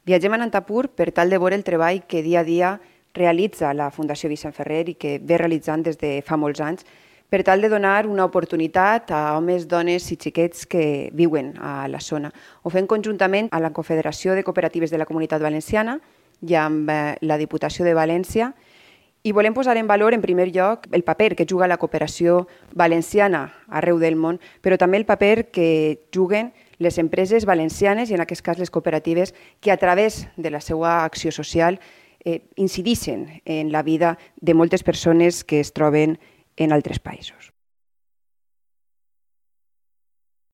Viatgem a Nantapur per tal de veure el treball que dia a dia realitza la Fundació Vicent Ferrer i que ve realitzant des de fa molts anys per tal de donar una oportunitat a homes, dones i xiquets que viuen a la zona. Ho fem conjuntament a la Confederació de Cooperatives de la Comunitat Valenciana i amb la Diputació de València i volem posar en valor, en primer lloc, el paper que juga la cooperació valenciana arreu del món, però també el paper que juguen les empreses valencianes i en aquest cas les cooperatives que a través de la seva acció social incideixen en la vida de moltes persones que es troben en altres països.